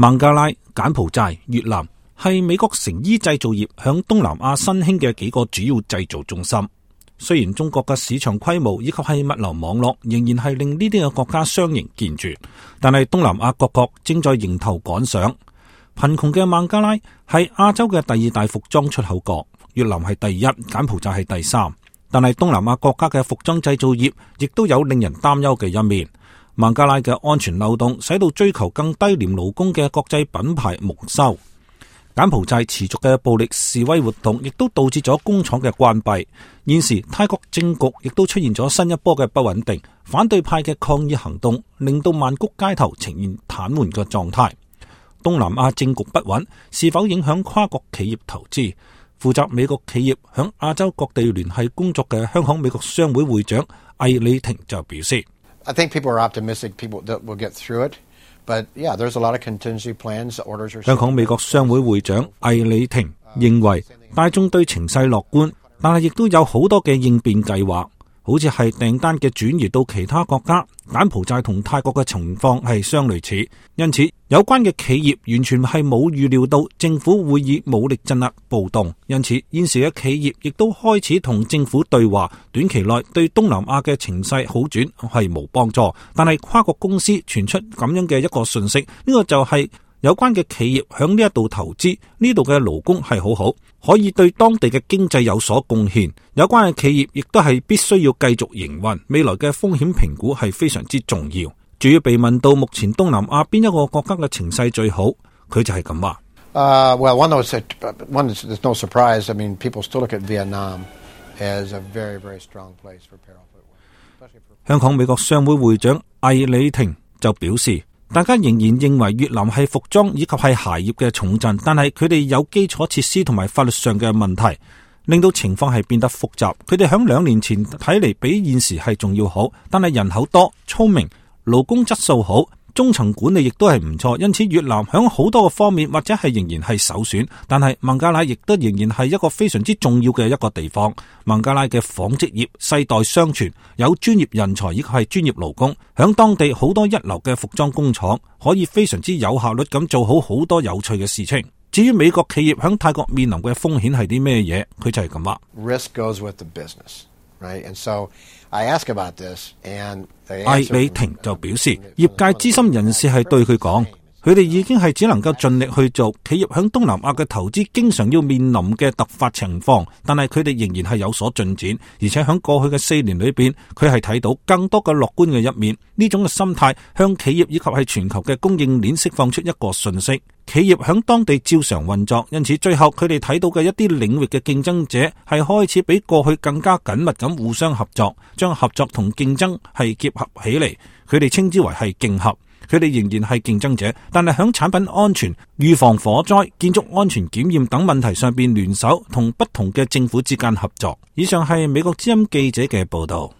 孟加拉、柬埔寨、越南係美國成衣製造業響東南亞新興嘅幾個主要製造中心。雖然中國嘅市場規模以及係物流網絡仍然係令呢啲嘅國家相形見絀，但係東南亞各國正在迎頭趕上。貧窮嘅孟加拉係亞洲嘅第二大服裝出口國，越南係第一，柬埔寨係第三。但係東南亞國家嘅服裝製造業亦都有令人擔憂嘅一面。孟加拉嘅安全漏洞使到追求更低廉勞工嘅國際品牌蒙羞。柬埔寨持續嘅暴力示威活動亦都導致咗工廠嘅關閉。現時泰國政局亦都出現咗新一波嘅不穩定，反對派嘅抗議行動令到曼谷街頭呈現癱瘓嘅狀態。東南亞政局不穩，是否影響跨國企業投資？負責美國企業響亞洲各地聯繫工作嘅香港美國商會會長魏理婷就表示：I think people are optimistic people that will get through it, but yeah, there's a lot of contingency plans, orders are. 香港美國商會會長魏理婷認為大眾對情勢樂觀，但係亦都有好多嘅應變計劃，好似係訂單嘅轉移到其他國家。柬埔寨同泰國嘅情況係相類似，因此有關嘅企業完全係冇預料到政府會以武力鎮壓暴動，因此現時嘅企業亦都開始同政府對話，短期內對東南亞嘅情勢好轉係冇幫助。但係跨國公司傳出咁樣嘅一個訊息，呢個就係有關嘅企業響呢一度投資，呢度嘅勞工係好好，可以對當地嘅經濟有所貢獻。有關嘅企業亦都係必須要繼續營運，未來嘅風險評估係非常之重要。至於被問到目前東南亞邊一個國家嘅情勢最好，佢就係咁話。Well, one is no surprise. I mean, people still look at Vietnam as a very, very strong place for apparel footwear. 香港美國商會會長魏理婷就表示，大家仍然認為越南係服裝以及係鞋業嘅重鎮，但係佢哋有基礎設施同埋法律上嘅問題，令到情況係變得複雜。佢哋響2年前睇嚟比現時係仲要好，但係人口多、聰明、勞工質素好、中層管理亦都係唔錯，因此越南響好多個方面或者係仍然係首選。但係孟加拉亦都仍然係一個非常之重要嘅一個地方。孟加拉嘅紡織業世代相傳，有專業人才以及係專業勞工，響當地好多一流嘅服裝工廠，可以非常之有效率咁做好好多有趣嘅事情。至於美國企業響泰國面臨嘅風險係啲咩嘢，佢就係咁話。Risk goes with the business, right? And so I ask about this, and魏理婷就表示，業界資深人士係對佢講，佢哋已經係只能夠盡力去做。企業響東南亞嘅投資經常要面臨嘅突發情況，但係佢哋仍然係有所進展，而且響過去嘅4年裏邊，佢係睇到更多嘅樂觀嘅一面。呢種嘅心態向企業以及係全球嘅供應鏈釋放出一個訊息：企業響當地照常運作。因此最後佢哋睇到嘅一啲領域嘅競爭者係開始比過去更加緊密咁互相合作，將合作同競爭係結合起嚟，佢哋稱之為係競合。佢哋仍然係競爭者，但係響產品安全、預防火災、建築安全檢驗等問題上邊聯手，同不同嘅政府之間合作。以上係美國之音記者嘅報道。